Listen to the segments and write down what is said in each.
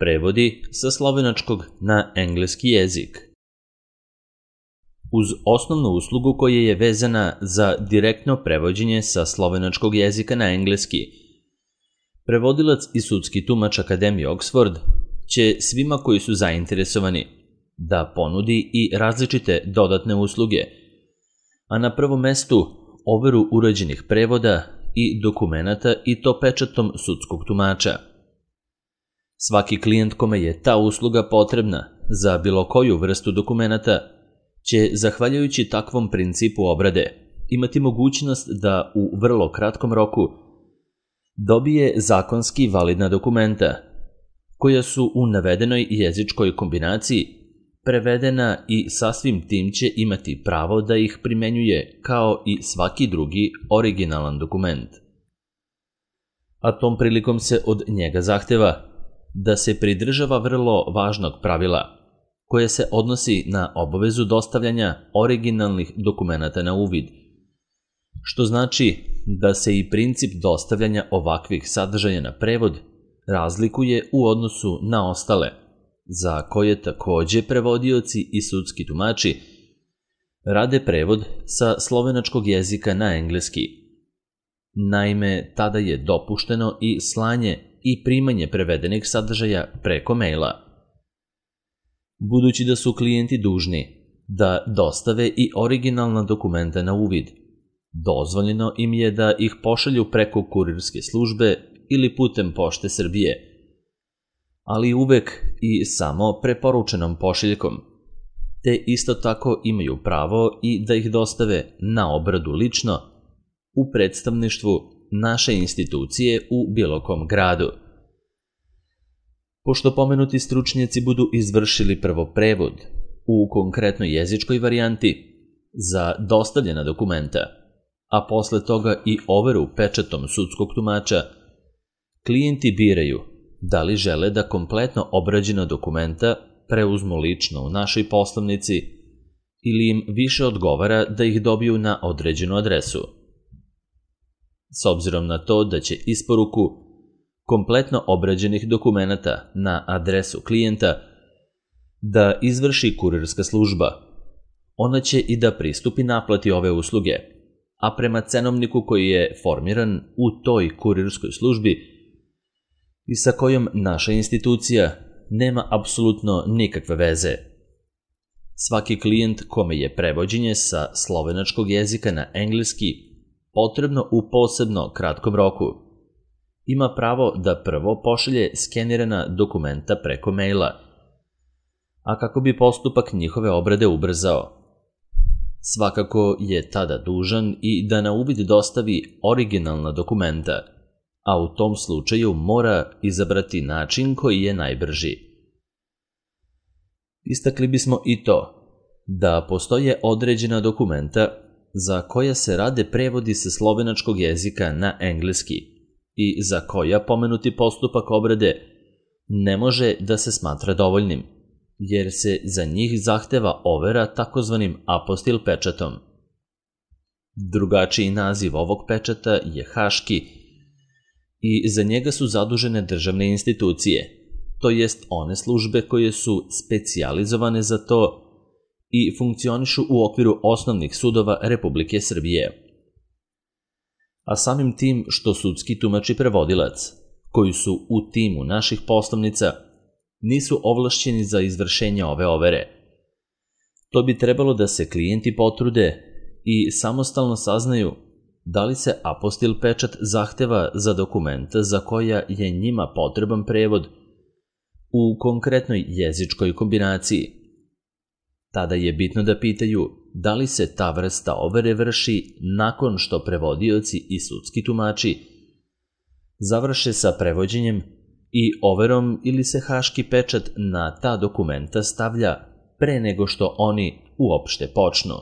Prevodi sa slovenačkog na engleski jezik. Uz osnovnu uslugu koja je vezana za direktno prevođenje sa slovenačkog jezika na engleski, prevodilac i sudski tumač Akademije Oxford će svima koji su zainteresovani da ponudi i različite dodatne usluge, a na prvom mestu overu urađenih prevoda i dokumenata i to pečatom sudskog tumača. Svaki klijent kome je ta usluga potrebna za bilo koju vrstu dokumenata će, zahvaljujući takvom principu obrade, imati mogućnost da u vrlo kratkom roku dobije zakonski validna dokumenta, koja su u navedenoj jezičkoj kombinaciji prevedena i sasvim tim će imati pravo da ih primenjuje kao i svaki drugi originalan dokument. A tom prilikom se od njega zahteva da se pridržava vrlo važnog pravila, koje se odnosi na obavezu dostavljanja originalnih dokumenata na uvid, što znači da se i princip dostavljanja ovakvih sadržaja na prevod razlikuje u odnosu na ostale, za koje takođe prevodioci i sudski tumači rade prevod sa slovenačkog jezika na engleski. Naime, tada je dopušteno i slanje i primanje prevedenih sadržaja preko maila. Budući da su klijenti dužni da dostave i originalna dokumenta na uvid, dozvoljeno im je da ih pošalju preko kurirske službe ili putem Pošte Srbije, ali uvek i samo preporučenom pošiljkom, te isto tako imaju pravo i da ih dostave na obradu lično u predstavništvu naše institucije u bilo kom gradu. Pošto pomenuti stručnjaci budu izvršili prvo prevod u konkretnoj jezičkoj varijanti za dostavljena dokumenta, a posle toga i overu pečatom sudskog tumača, klijenti biraju da li žele da kompletno obrađena dokumenta preuzmu lično u našoj poslovnici ili im više odgovara da ih dobiju na određenu adresu. S obzirom na to da će isporuku kompletno obrađenih dokumenata na adresu klijenta da izvrši kurirska služba, ona će i da pristupi naplati ove usluge, a prema cenovniku koji je formiran u toj kurirskoj službi i sa kojom naša institucija nema apsolutno nikakve veze. Svaki klijent kome je prevođenje sa slovenačkog jezika na engleski potrebno u posebno kratkom roku, ima pravo da prvo pošalje skenirana dokumenta preko maila, a kako bi postupak njihove obrade ubrzao. Svakako je tada dužan i da na uvid dostavi originalna dokumenta, a u tom slučaju mora izabrati način koji je najbrži. Istakli bismo i to da postoje određena dokumenta za koja se rade prevodi sa slovenačkog jezika na engleski i za koja pomenuti postupak obrade ne može da se smatra dovoljnim, jer se za njih zahteva overa takozvanim apostil pečatom. Drugačiji naziv ovog pečata je haški i za njega su zadužene državne institucije, to jest one službe koje su specijalizovane za to i funkcionišu u okviru osnovnih sudova Republike Srbije. A samim tim što sudski tumač i prevodilac, koji su u timu naših poslovnica, nisu ovlašćeni za izvršenje ove overe. To bi trebalo da se klijenti potrude i samostalno saznaju da li se apostil pečat zahteva za dokumenta za koja je njima potreban prevod u konkretnoj jezičkoj kombinaciji. Tada je bitno da pitaju da li se ta vrsta overe vrši nakon što prevodioci i sudski tumači završe sa prevođenjem i overom ili se haški pečat na ta dokumenta stavlja pre nego što oni uopšte počnu.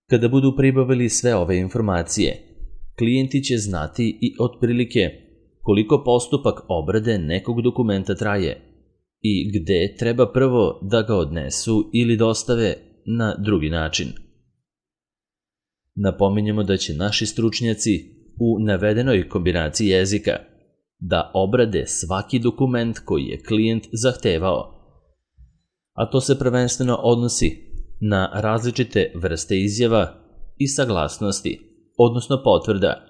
Kada budu pribavili sve ove informacije, klijenti će znati i otprilike koliko postupak obrade nekog dokumenta traje i gde treba prvo da ga odnesu ili dostave na drugi način. Napominjemo da će naši stručnjaci u navedenoj kombinaciji jezika da obrade svaki dokument koji je klijent zahtevao, a to se prvenstveno odnosi na različite vrste izjava i saglasnosti, odnosno potvrda,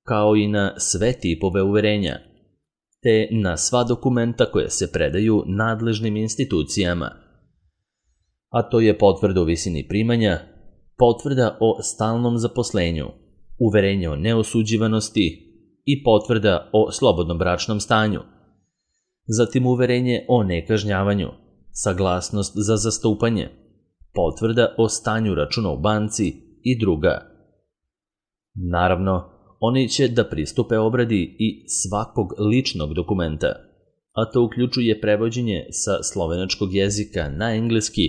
kao i na sve tipove uverenja, te na sva dokumenta koje se predaju nadležnim institucijama, a to je potvrda o visini primanja, potvrda o stalnom zaposlenju, uverenje o neosuđivanosti i potvrda o slobodnom bračnom stanju, zatim uverenje o nekažnjavanju, saglasnost za zastupanje, potvrda o stanju računa u banci i druga. Naravno, oni će da pristupe obradi i svakog ličnog dokumenta, a to uključuje prevođenje sa slovenačkog jezika na engleski,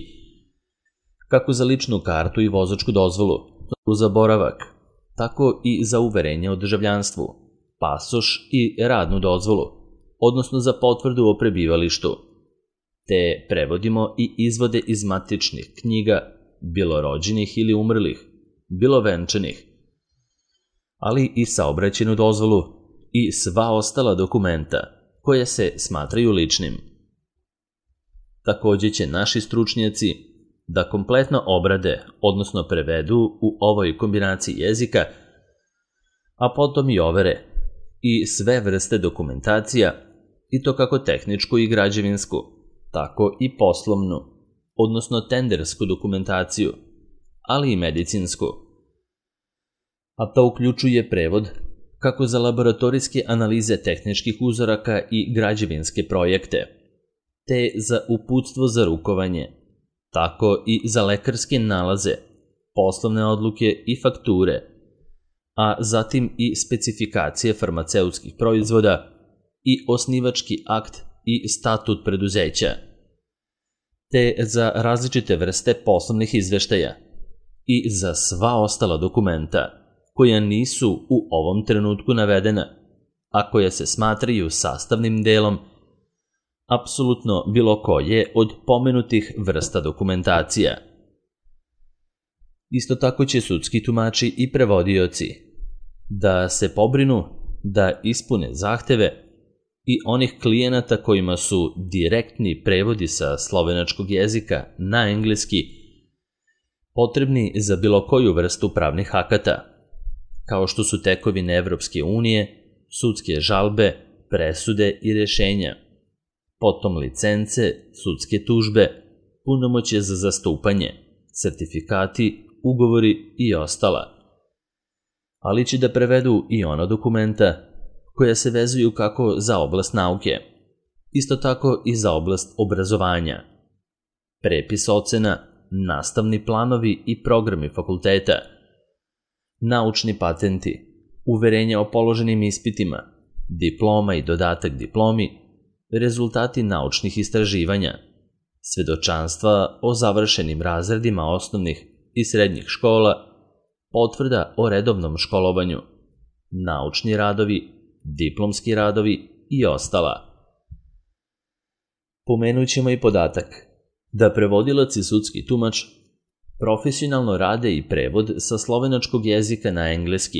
kako za ličnu kartu i vozačku dozvolu, za boravak, tako i za uverenje o državljanstvu, pasoš i radnu dozvolu, odnosno za potvrdu o prebivalištu, te prevodimo i izvode iz matičnih knjiga, bilo rođenih ili umrlih, bilo venčanih, ali i saobraćajnu dozvolu i sva ostala dokumenta koje se smatraju ličnim. Takođe će naši stručnjaci da kompletno obrade, odnosno prevedu u ovoj kombinaciji jezika, a potom i overe i sve vrste dokumentacija, i to kako tehničku i građevinsku, tako i poslovnu, odnosno tendersku dokumentaciju, ali i medicinsku. A to uključuje prevod kako za laboratorijske analize tehničkih uzoraka i građevinske projekte, te za uputstvo za rukovanje, tako i za lekarske nalaze, poslovne odluke i fakture, a zatim i specifikacije farmaceutskih proizvoda i osnivački akt i statut preduzeća, te za različite vrste poslovnih izveštaja i za sva ostala dokumenta koja nisu u ovom trenutku navedena, a koja se smatraju sastavnim delom apsolutno bilo koje od pomenutih vrsta dokumentacija. Isto tako će sudski tumači i prevodioci da se pobrinu da ispune zahteve i onih klijenata kojima su direktni prevodi sa slovenačkog jezika na engleski potrebni za bilo koju vrstu pravnih akata, kao što su tekovine Evropske unije, sudske žalbe, presude i rešenja, potom licence, sudske tužbe, punomoćje za zastupanje, sertifikati, ugovori i ostala. Ali će da prevedu i ona dokumenta koja se vezuju kako za oblast nauke, isto tako i za oblast obrazovanja, prepis ocena, nastavni planovi i programi fakulteta, naučni patenti, uverenja o položenim ispitima, diploma i dodatak diplomi, rezultati naučnih istraživanja, svedočanstva o završenim razredima osnovnih i srednjih škola, potvrda o redovnom školovanju, naučni radovi, diplomski radovi i ostala. Pomenućemo i podatak da prevodilac i sudski tumač profesionalno rade i prevod sa slovenačkog jezika na engleski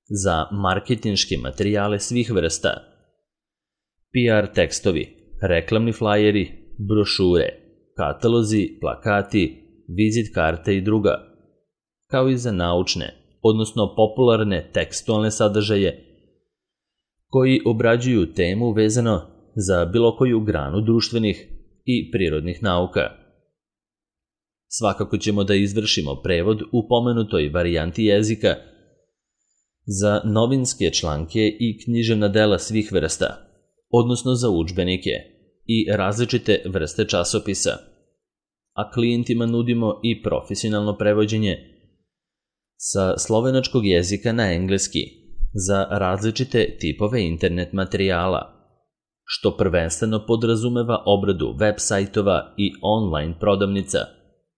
za marketinške materijale svih vrsta, PR tekstovi, reklamni flajeri, brošure, katalozi, plakati, vizit karte i druga, kao i za naučne, odnosno popularne tekstualne sadržaje koji obrađuju temu vezano za bilo koju granu društvenih i prirodnih nauka. Svakako ćemo da izvršimo prevod u pomenutoj varijanti jezika za novinske članke i književna dela svih vrsta, odnosno za udžbenike i različite vrste časopisa, a klijentima nudimo i profesionalno prevođenje sa slovenačkog jezika na engleski za različite tipove internet materijala, što prvenstveno podrazumeva obradu web sajtova i online prodavnica,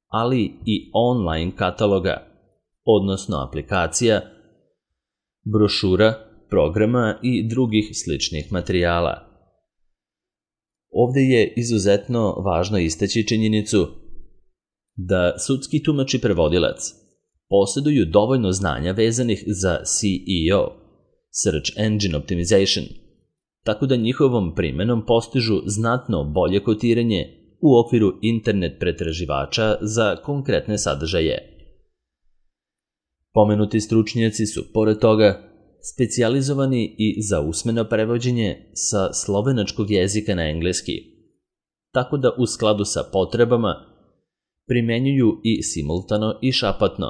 ali i online kataloga, odnosno aplikacija, brošura, programa i drugih sličnih materijala. Ovde je izuzetno važno istaći činjenicu da sudski tumač i prevodilac posjeduju dovoljno znanja vezanih za SEO, Search Engine Optimization, tako da njihovom primenom postižu znatno bolje kotiranje u okviru internet pretraživača za konkretne sadržaje. Pomenuti stručnjaci su, pored toga, specijalizovani i za usmeno prevođenje sa slovenačkog jezika na engleski, tako da u skladu sa potrebama primenjuju i simultano i šapatno,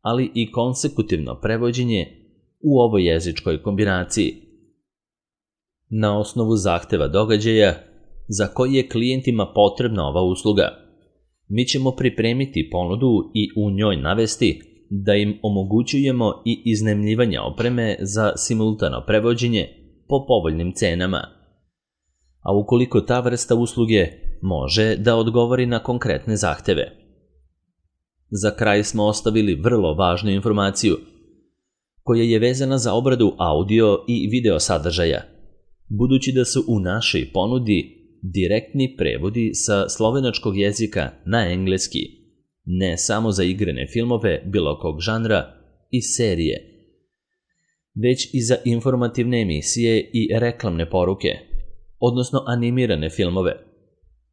ali i konsekutivno prevođenje u ovoj jezičkoj kombinaciji. Na osnovu zahteva događaja za koji je klijentima potrebna ova usluga, mi ćemo pripremiti ponudu i u njoj navesti da im omogućujemo i iznajmljivanje opreme za simultano prevođenje po povoljnim cenama. A ukoliko ta vrsta usluge može da odgovori na konkretne zahteve. Za kraj smo ostavili vrlo važnu informaciju koja je vezana za obradu audio i video sadržaja, budući da su u našoj ponudi direktni prevodi sa slovenačkog jezika na engleski, ne samo za igrane filmove bilo kog žanra i serije, već i za informativne emisije i reklamne poruke, odnosno animirane filmove,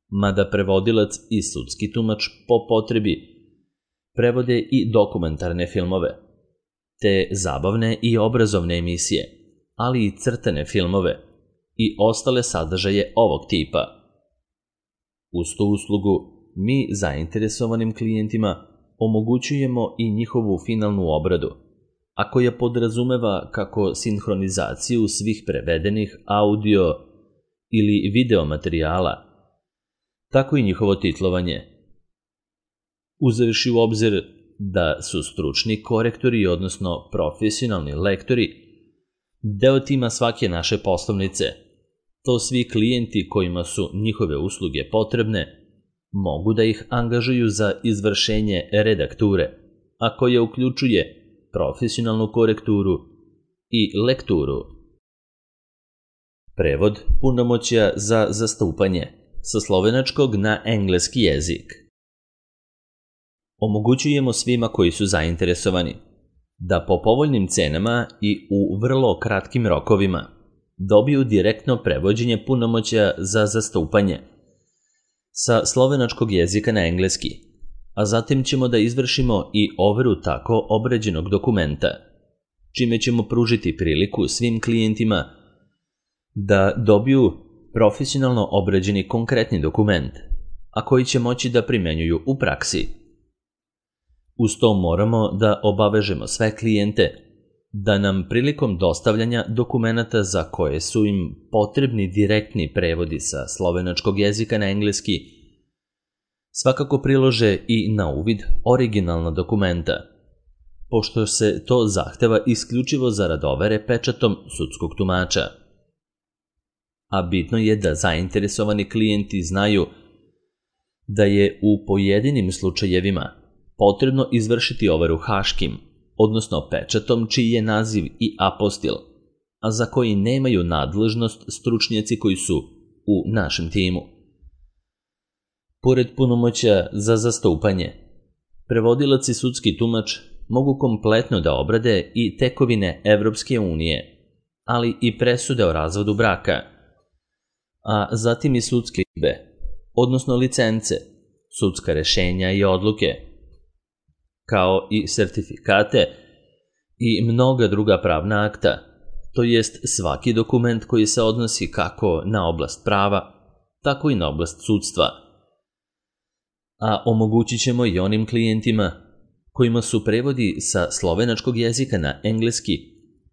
mada prevodilac i sudski tumač po potrebi prevode i dokumentarne filmove, te zabavne i obrazovne emisije, ali i crtane filmove i ostale sadržaje ovog tipa. Uz tu uslugu mi zainteresovanim klijentima omogućujemo i njihovu finalnu obradu, a koja podrazumeva kako sinhronizaciju svih prevedenih audio ili video materijala, tako i njihovo titlovanje. Uzevši u obzir da su stručni korektori, odnosno profesionalni lektori, deo tima svake naše poslovnice, to svi klijenti kojima su njihove usluge potrebne mogu da ih angažuju za izvršenje redakture, a koja uključuje profesionalnu korekturu i lekturu. Prevod punomoćja za zastupanje sa slovenačkog na engleski jezik. Omogućujemo svima koji su zainteresovani da po povoljnim cenama i u vrlo kratkim rokovima dobiju direktno prevođenje punomoćja za zastupanje sa slovenačkog jezika na engleski, a zatim ćemo da izvršimo i overu tako obrađenog dokumenta, čime ćemo pružiti priliku svim klijentima da dobiju profesionalno obrađeni konkretni dokument, a koji će moći da primenjuju u praksi. Uz to moramo da obavežemo sve klijente da nam prilikom dostavljanja dokumenata za koje su im potrebni direktni prevodi sa slovenačkog jezika na engleski svakako prilože i na uvid originalna dokumenta, pošto se to zahteva isključivo zarad overe pečatom sudskog tumača. A bitno je da zainteresovani klijenti znaju da je u pojedinim slučajevima potrebno izvršiti overu haškim, odnosno pečatom čiji je naziv i apostil, a za koji nemaju nadležnost stručnjaci koji su u našem timu. Pored punomoćja za zastupanje, prevodilac i sudski tumač mogu kompletno da obrade i tekovine Evropske unije, ali i presude o razvodu braka, a zatim i sudske izjave, odnosno licence, sudska rešenja i odluke, kao i sertifikate i mnoga druga pravna akta, to jest svaki dokument koji se odnosi kako na oblast prava, tako i na oblast sudstva. A omogućit ćemo i onim klijentima kojima su prevodi sa slovenačkog jezika na engleski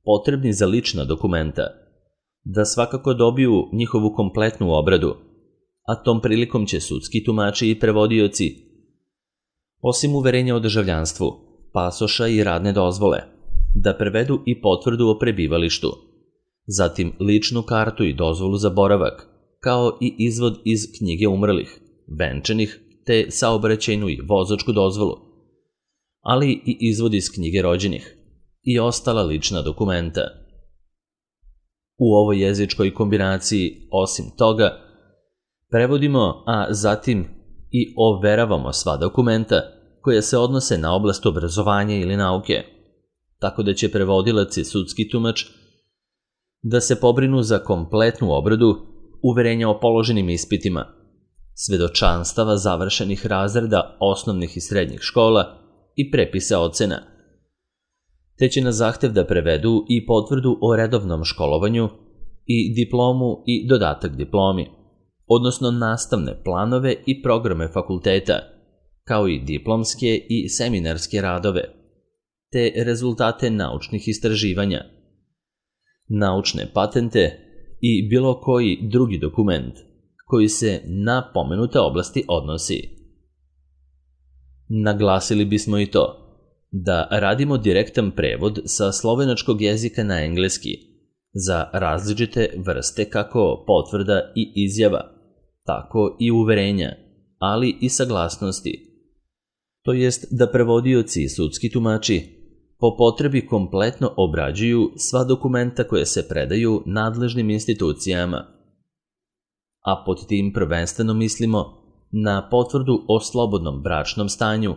potrebni za lična dokumenta, da svakako dobiju njihovu kompletnu obradu, a tom prilikom će sudski tumači i prevodioci, osim uverenja o državljanstvu, pasoša i radne dozvole, da prevedu i potvrdu o prebivalištu, zatim ličnu kartu i dozvolu za boravak, kao i izvod iz knjige umrlih, venčanih, te saobraćajnu i vozačku dozvolu, ali i izvod iz knjige rođenih i ostala lična dokumenta. U ovoj jezičkoj kombinaciji, osim toga, prevodimo, a zatim i overavamo sva dokumenta koja se odnose na oblast obrazovanja ili nauke, tako da će prevodilac i sudski tumač da se pobrinu za kompletnu obradu uverenja o položenim ispitima, svedočanstava završenih razreda osnovnih i srednjih škola i prepisa ocena, te će na zahtev da prevedu i potvrdu o redovnom školovanju i diplomu i dodatak diplomi, odnosno nastavne planove i programe fakulteta, kao i diplomske i seminarske radove, te rezultate naučnih istraživanja, naučne patente i bilo koji drugi dokument koji se na pomenute oblasti odnosi. Naglasili bismo i to da radimo direktan prevod sa slovenačkog jezika na engleski za različite vrste kako potvrda i izjava, tako i uverenja, ali i saglasnosti. To jest da prevodioci i sudski tumači po potrebi kompletno obrađuju sva dokumenta koje se predaju nadležnim institucijama. A pod tim prvenstveno mislimo na potvrdu o slobodnom bračnom stanju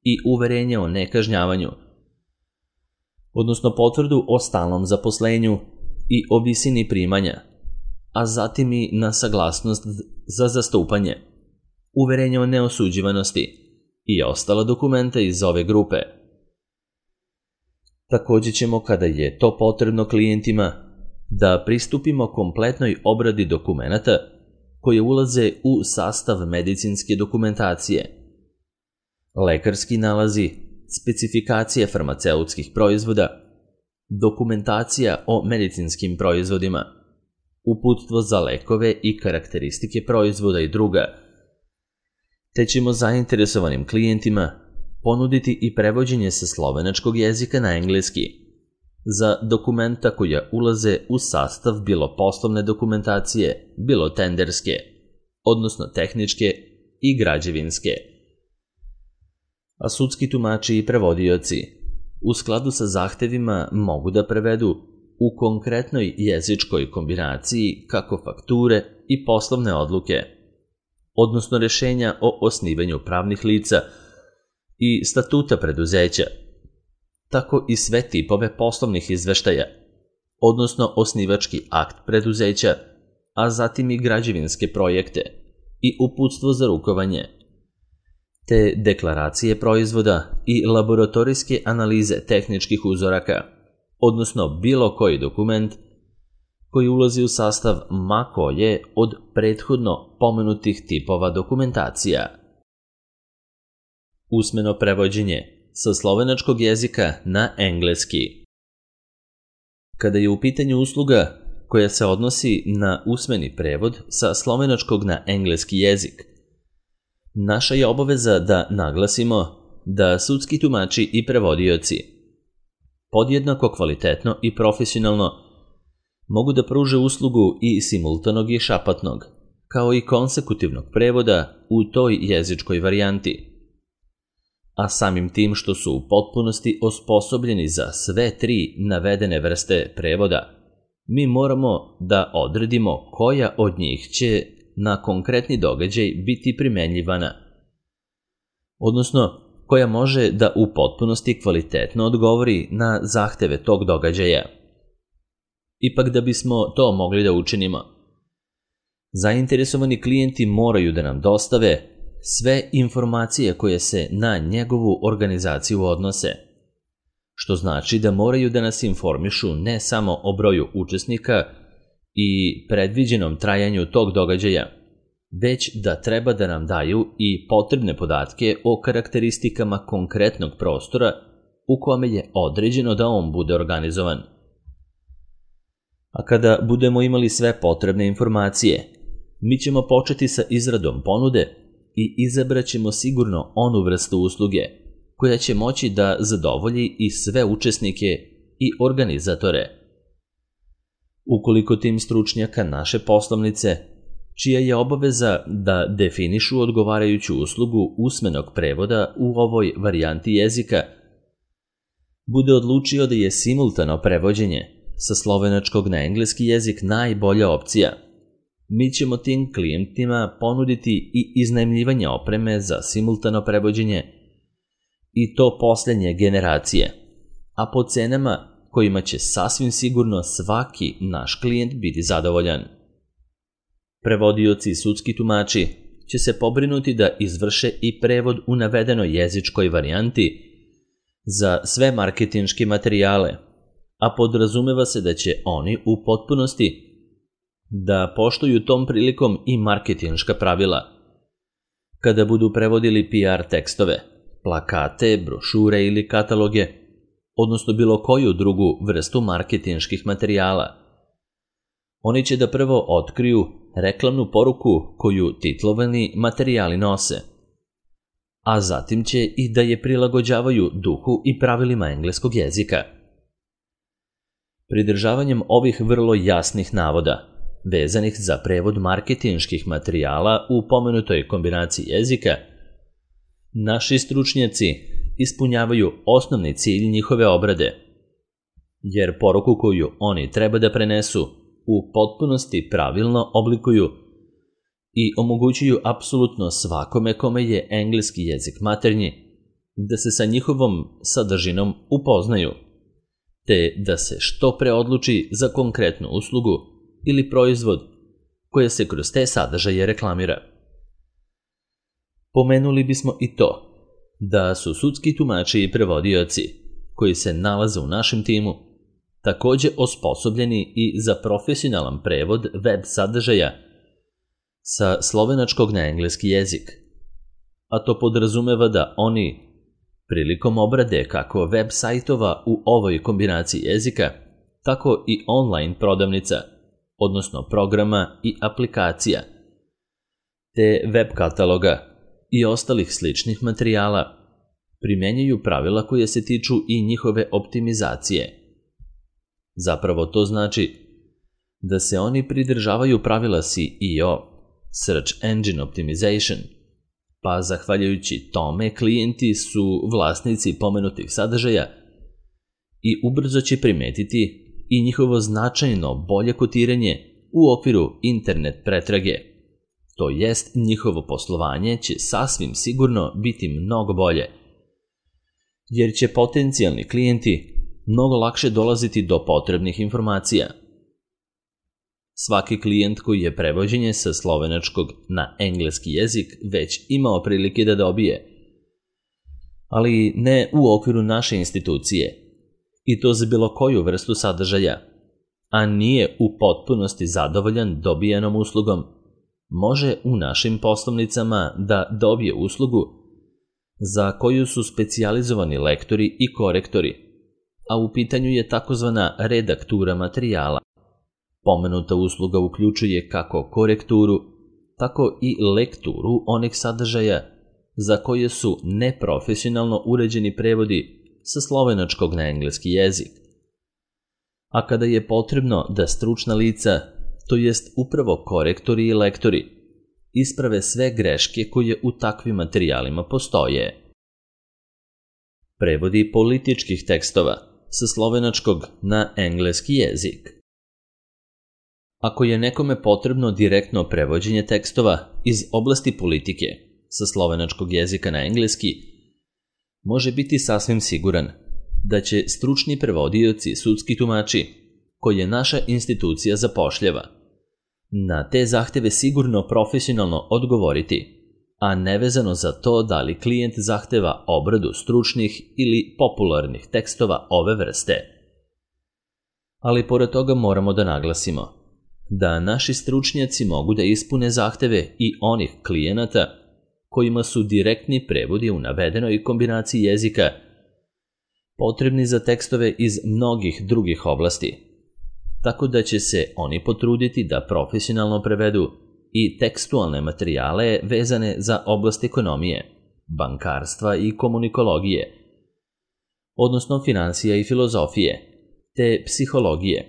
i uverenje o nekažnjavanju, odnosno potvrdu o stalnom zaposlenju i o visini primanja, a zatim i na saglasnost za zastupanje, uverenje o neosuđivanosti i ostala dokumenta iz ove grupe. Također ćemo, kada je to potrebno klijentima, da pristupimo kompletnoj obradi dokumenata koje ulaze u sastav medicinske dokumentacije, lekarski nalazi, specifikacije farmaceutskih proizvoda, dokumentacija o medicinskim proizvodima, uputstvo za lekove i karakteristike proizvoda i druga, te ćemo zainteresovanim klijentima ponuditi i prevođenje sa slovenačkog jezika na engleski za dokumenta koja ulaze u sastav bilo poslovne dokumentacije, bilo tenderske, odnosno tehničke i građevinske. A sudski tumači i prevodioci u skladu sa zahtevima mogu da prevedu u konkretnoj jezičkoj kombinaciji kako fakture i poslovne odluke, odnosno rešenja o osnivanju pravnih lica i statuta preduzeća, tako i sve tipove poslovnih izveštaja, odnosno osnivački akt preduzeća, a zatim i građevinske projekte i uputstvo za rukovanje, te deklaracije proizvoda i laboratorijske analize tehničkih uzoraka, odnosno bilo koji dokument koji ulazi u sastav ma koje od prethodno pomenutih tipova dokumentacija. Usmeno prevođenje sa slovenačkog jezika na engleski. Kada je u pitanju usluga koja se odnosi na usmeni prevod sa slovenačkog na engleski jezik, naša je obaveza da naglasimo da sudski tumači i prevodioci podjednako kvalitetno i profesionalno mogu da pruže uslugu i simultanog i šapatnog, kao i konsekutivnog prevoda u toj jezičkoj varijanti. A samim tim što su u potpunosti osposobljeni za sve tri navedene vrste prevoda, mi moramo da odredimo koja od njih će na konkretni događaj biti primenjivana, odnosno koja može da u potpunosti kvalitetno odgovori na zahteve tog događaja. Ipak da bismo to mogli da učinimo, zainteresovani klijenti moraju da nam dostave sve informacije koje se na njegovu organizaciju odnose, što znači da moraju da nas informišu ne samo o broju učesnika i predviđenom trajanju tog događaja, već da treba da nam daju i potrebne podatke o karakteristikama konkretnog prostora u kome je određeno da on bude organizovan. A kada budemo imali sve potrebne informacije, mi ćemo početi sa izradom ponude i izabraćemo sigurno onu vrstu usluge koja će moći da zadovolji i sve učesnike i organizatore. Ukoliko tim stručnjaka naše poslovnice, čija je obaveza da definišu odgovarajuću uslugu usmenog prevoda u ovoj varijanti jezika, bude odlučio da je simultano prevođenje sa slovenačkog na engleski jezik najbolja opcija, mi ćemo tim klijentima ponuditi i iznajmljivanje opreme za simultano prevođenje i to posljednje generacije, a po cenama kojima će sasvim sigurno svaki naš klijent biti zadovoljan. Prevodioci i sudski tumači će se pobrinuti da izvrše i prevod u navedenoj jezičkoj varijanti za sve marketinške materijale, a podrazumeva se da će oni u potpunosti da poštuju tom prilikom i marketinška pravila. Kada budu prevodili PR tekstove, plakate, brošure ili kataloge, odnosno bilo koju drugu vrstu marketinških materijala, oni će da prvo otkriju reklamnu poruku koju titlovani materijali nose, a zatim će i da je prilagođavaju duhu i pravilima engleskog jezika. Pridržavanjem ovih vrlo jasnih navoda, vezanih za prevod marketinških materijala u pomenutoj kombinaciji jezika, naši stručnjaci ispunjavaju osnovni cilj njihove obrade, jer poruku koju oni treba da prenesu u potpunosti pravilno oblikuju i omogućuju apsolutno svakome kome je engleski jezik maternji da se sa njihovom sadržinom upoznaju, te da se što pre odluči za konkretnu uslugu ili proizvod koje se kroz te sadržaje reklamira. Pomenuli bismo i to da su sudski tumači i prevodioci koji se nalaze u našem timu takođe osposobljeni i za profesionalan prevod web sadržaja sa slovenačkog na engleski jezik, a to podrazumeva da oni prilikom obrade kako web sajtova u ovoj kombinaciji jezika, tako i online prodavnica, odnosno programa i aplikacija, te web kataloga i ostalih sličnih materijala, primenjuju pravila koje se tiču i njihove optimizacije. Zapravo to znači da se oni pridržavaju pravila SEO, Search Engine Optimization, pa zahvaljujući tome klijenti su vlasnici pomenutih sadržaja i ubrzo će primetiti i njihovo značajno bolje kotiranje u okviru internet pretrage. To jest, njihovo poslovanje će sasvim sigurno biti mnogo bolje, jer će potencijalni klijenti mnogo lakše dolaziti do potrebnih informacija. Svaki klijent koji je prevođenje sa slovenačkog na engleski jezik već imao prilike da dobije, ali ne u okviru naše institucije, i to za bilo koju vrstu sadržaja, a nije u potpunosti zadovoljan dobijenom uslugom, može u našim poslovnicama da dobije uslugu za koju su specijalizovani lektori i korektori, a u pitanju je takozvana redaktura materijala. Pomenuta usluga uključuje kako korekturu, tako i lekturu onih sadržaja za koje su neprofesionalno uređeni prevodi sa slovenačkog na engleski jezik. A kada je potrebno da stručna lica, to jest upravo korektori i lektori, isprave sve greške koje u takvim materijalima postoje. Prevodi političkih tekstova sa slovenačkog na engleski jezik. Ako je nekome potrebno direktno prevođenje tekstova iz oblasti politike sa slovenačkog jezika na engleski, može biti sasvim siguran da će stručni prevodioci i sudski tumači, koje naša institucija zapošljava, na te zahteve sigurno profesionalno odgovoriti, a nevezano za to da li klijent zahteva obradu stručnih ili popularnih tekstova ove vrste. Ali pored toga moramo da naglasimo da naši stručnjaci mogu da ispune zahteve i onih klijenata kojima su direktni prevodi u navedenoj kombinaciji jezika potrebni za tekstove iz mnogih drugih oblasti, tako da će se oni potruditi da profesionalno prevedu i tekstualne materijale vezane za oblast ekonomije, bankarstva i komunikologije, odnosno finansija i filozofije, te psihologije,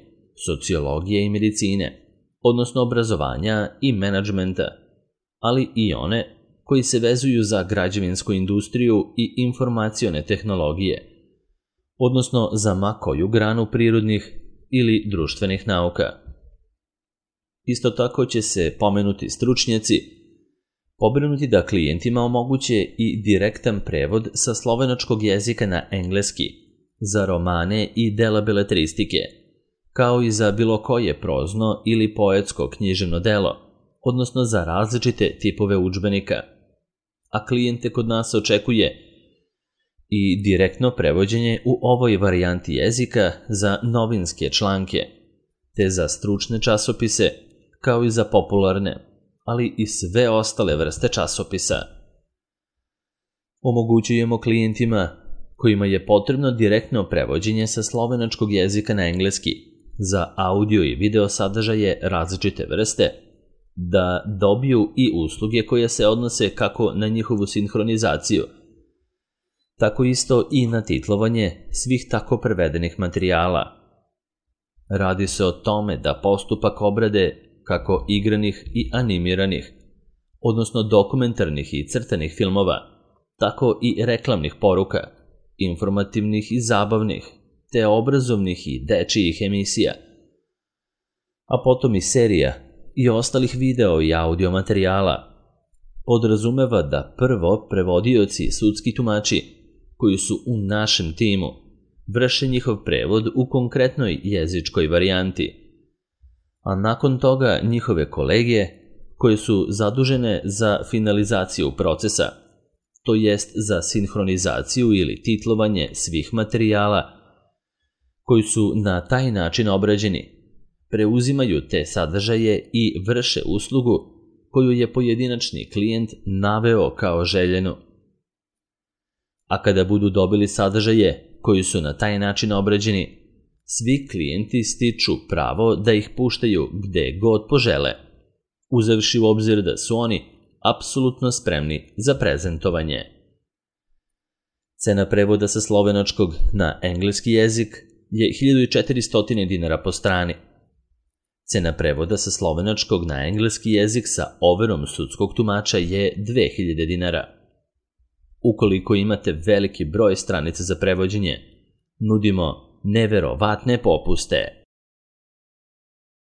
sociologije i medicine, odnosno obrazovanja i menadžmenta, ali i one koji se vezuju za građevinsku industriju i informacione tehnologije, odnosno za ma koju granu prirodnih ili društvenih nauka. Isto tako će se pomenuti stručnjaci pobrinuti da klijentima omoguće i direktan prevod sa slovenačkog jezika na engleski, za romane i dela beletristike, kao i za bilo koje prozno ili poetsko književno delo, odnosno za različite tipove udžbenika. A klijente kod nas očekuje i direktno prevođenje u ovoj varijanti jezika za novinske članke, te za stručne časopise, kao i za popularne, ali i sve ostale vrste časopisa. Omogućujemo klijentima kojima je potrebno direktno prevođenje sa slovenačkog jezika na engleski za audio i video sadržaje različite vrste, da dobiju i usluge koje se odnose kako na njihovu sinhronizaciju, tako isto i na titlovanje svih tako prevedenih materijala. Radi se o tome da postupak obrade kako igranih i animiranih, odnosno dokumentarnih i crtanih filmova, tako i reklamnih poruka, informativnih i zabavnih, te obrazovnih i dečijih emisija, a potom i serija i ostalih video i audio materijala, podrazumeva da prvo prevodioci i sudski tumači, koji su u našem timu, vrše njihov prevod u konkretnoj jezičkoj varijanti, a nakon toga njihove kolege koje su zadužene za finalizaciju procesa, to jest za sinhronizaciju ili titlovanje svih materijala koji su na taj način obrađeni, preuzimaju te sadržaje i vrše uslugu koju je pojedinačni klijent naveo kao željenu. A kada budu dobili sadržaje koji su na taj način obrađeni, svi klijenti stiču pravo da ih puštaju gde god požele, uzevši u obzir da su oni apsolutno spremni za prezentovanje. Cena prevoda sa slovenačkog na engleski jezik je 1400 dinara po strani. Cena prevoda sa slovenačkog na engleski jezik sa overom sudskog tumača je 2000 dinara. Ukoliko imate veliki broj stranica za prevođenje, nudimo neverovatne popuste.